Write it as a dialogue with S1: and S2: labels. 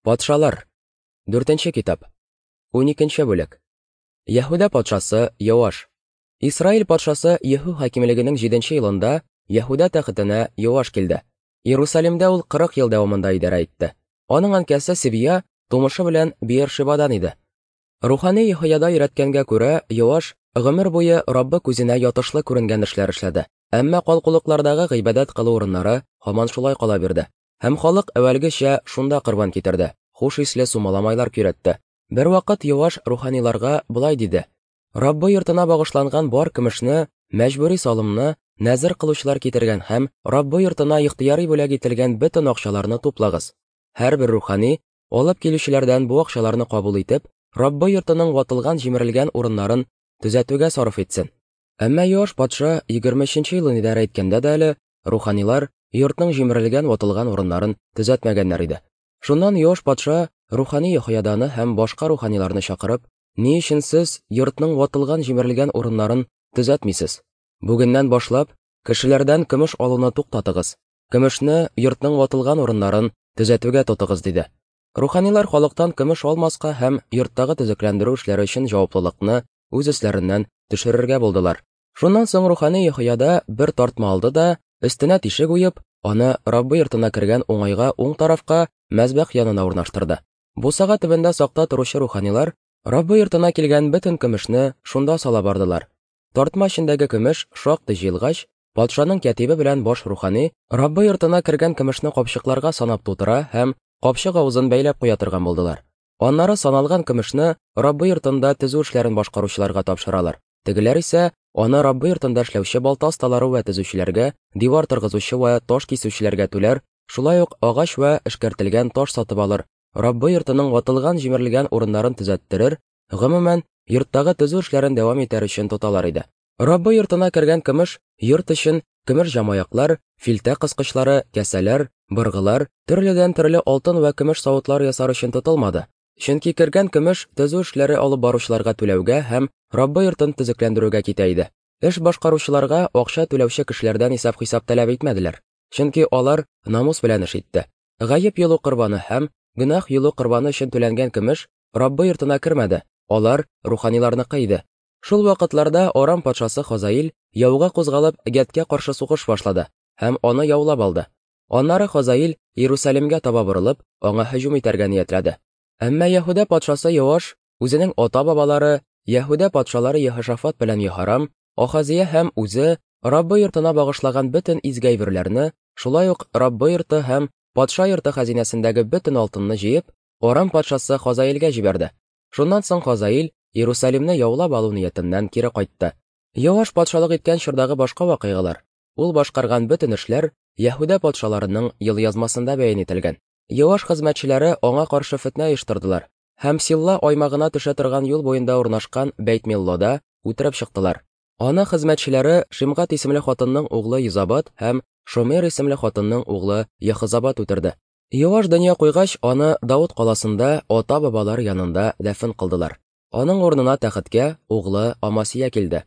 S1: Патшалар. Дүртенче китап. 12 бүлек. Яһүдә патшасы Йоаш. Исраил патшасы Еһу хакимлегенең 7 елында Яһүдә тәхетенә Йоаш килде. Иерусалимдә ул 40 ел дәвамында идарә итте. Аның әнкәсе Сибия тумышы белән Биершибадан иде. Рухани Еһояда өйрәткәнгә күрә, Йоаш гомер буе Раббы күзенә ятышлы күренгән эшләр эшләде. Әмма калкулыклардагы гыйбадәт кылу урыннары һаман шулай кала бирде. Һәм халык әүвәлгечә шунда корбан китерде, хуш исле сумаламайлар көйрәтте. Бервакыт Йоаш руханиларга болай диде: Раббы йортына багышланган бар көмешне, мәҗбүри салымны, нәзер кылучылар китергән һәм Раббы йортына ихтыяри бүләк ителгән бөтен акчаларны туплагыз. Һәрбер рухани, алып килүчеләрдән бу акчаларны кабул итеп, Раббы йортының ватылган-җимерелгән урыннарын төзәтүгә сарыф итсен. Әмма Йоаш патша 23 нче елын идарә иткәндә дә әле руханилар йортның җимерелгән-ватылган урыннарын төзәтмәгәннәр иде. Шуннан Йоаш патша рухани Йоһояданы һәм башка руханиларны чакырып, Ни өчен сез йортның ватылган-җимерелгән урыннарын төзәтмисез? Бүгеннән башлап, кешеләрдән көмеш алуны туктатыгыз, көмешне йортның ватылган урыннарын төзәтүгә тотыгыз, диде. Руханилар халыктан көмеш алмаска һәм йорттагы төзекләндерү эшләре өчен җаваплылыкны үз өсләреннән төшерергә булдылар. Шуннан соң рухани Йоһояда бер тартма алды да, өстенә тишек уеп, аны Раббы йортына кергән уңайга уң тарафка, мәзбәх янына урнаштырды. Бусага төбендә сакта торучы руханилар Раббы йортына килгән бөтен көмешне шунда сала бардылар. Тартма эчендәге көмеш шактый җыелгач, патшаның кятибе белән баш рухани Раббы йортына кергән көмешне капчыкларга санап тутыра һәм капчык авызын бәйләп куя торган булдылар. Аннары саналган көмешне Раббы йортында төзү эшләрен башкаручыларга тапшыралар. Тегеләр исә аны Раббы йортында эшләүче балта осталары вә төзүчеләргә, дивар торгызучы вә таш кисүчеләргә түләр, шулай ук агач вә эшкәртелгән таш сатып алыр, Раббы йортының ватылган-җимерелгән урыннарын төзәттерер, гомумән, йорттагы төзү эшләрен дәвам итәр өчен тоталар иде. Раббы йортына кергән көмеш йорт өчен көмеш җамаяклар, филтә кыскычлары, кәсәләр, быргылар, төрледән-төрле алтын вә көмеш савытлар ясар өчен тотылмады. Чөнки кергән көмеш төзү эшләре алып баручыларга түләүгә һәм Раббы йортын төзекләндерүгә китә иде. Эш башкаручыларга акча түләүче кешеләрдән исәп-хисап таләп итмәделәр, чөнки алар намус белән эш итте. Гаеп йолу корбаны һәм гөнаһ йолу корбаны өчен түләнгән көмеш Раббы йортына кермәде, алар руханиларныкы иде. Шул вакытларда Арам патшасы Хазаил яуга кузгалып Гәткә каршы сугыш башлады һәм аны яулап алды. Аннары Хазаил Иерусалимгә таба борылып, аңа һөҗүм итәргә ниятләде. Әмма Яһүдә патшасы Йоаш үзенең ата-бабалары, Яһүдә патшалары Еһошафат белән Еһорам, Ахазия һәм үзе Раббы йортына багышлаган бөтен изге әйберләрне, шулай ук Раббы йорты һәм патша йорты хәзинәсендәге бөтен алтынны җыеп, Арам патшасы Хазаилгә җибәрде. Шуннан соң Хазаил Иерусалимны яулап алу ниятеннән кире кайтты. Йоаш патшалык иткән чордагы башка вакыйгалар, ул башкарган бөтен эшләр Яһүдә патшаларының елъязмасында бәян ителгән. Йоаш хезмәтчеләре аңа каршы фетнә оештырдылар һәм Силла аймагына төшә торган юл буенда урнашкан Бәйт-Миллода үтереп чыктылар. Аны хезмәтчеләре Шимгат исемле хатынның углы Йозабат һәм Шомер исемле хатынның углы Ехозабат үтерде. Йоаш дөнья куйгач, аны Давыт каласында ата-бабалар янында дәфен кылдылар. Аның урынына тәхеткә углы Амасия килде.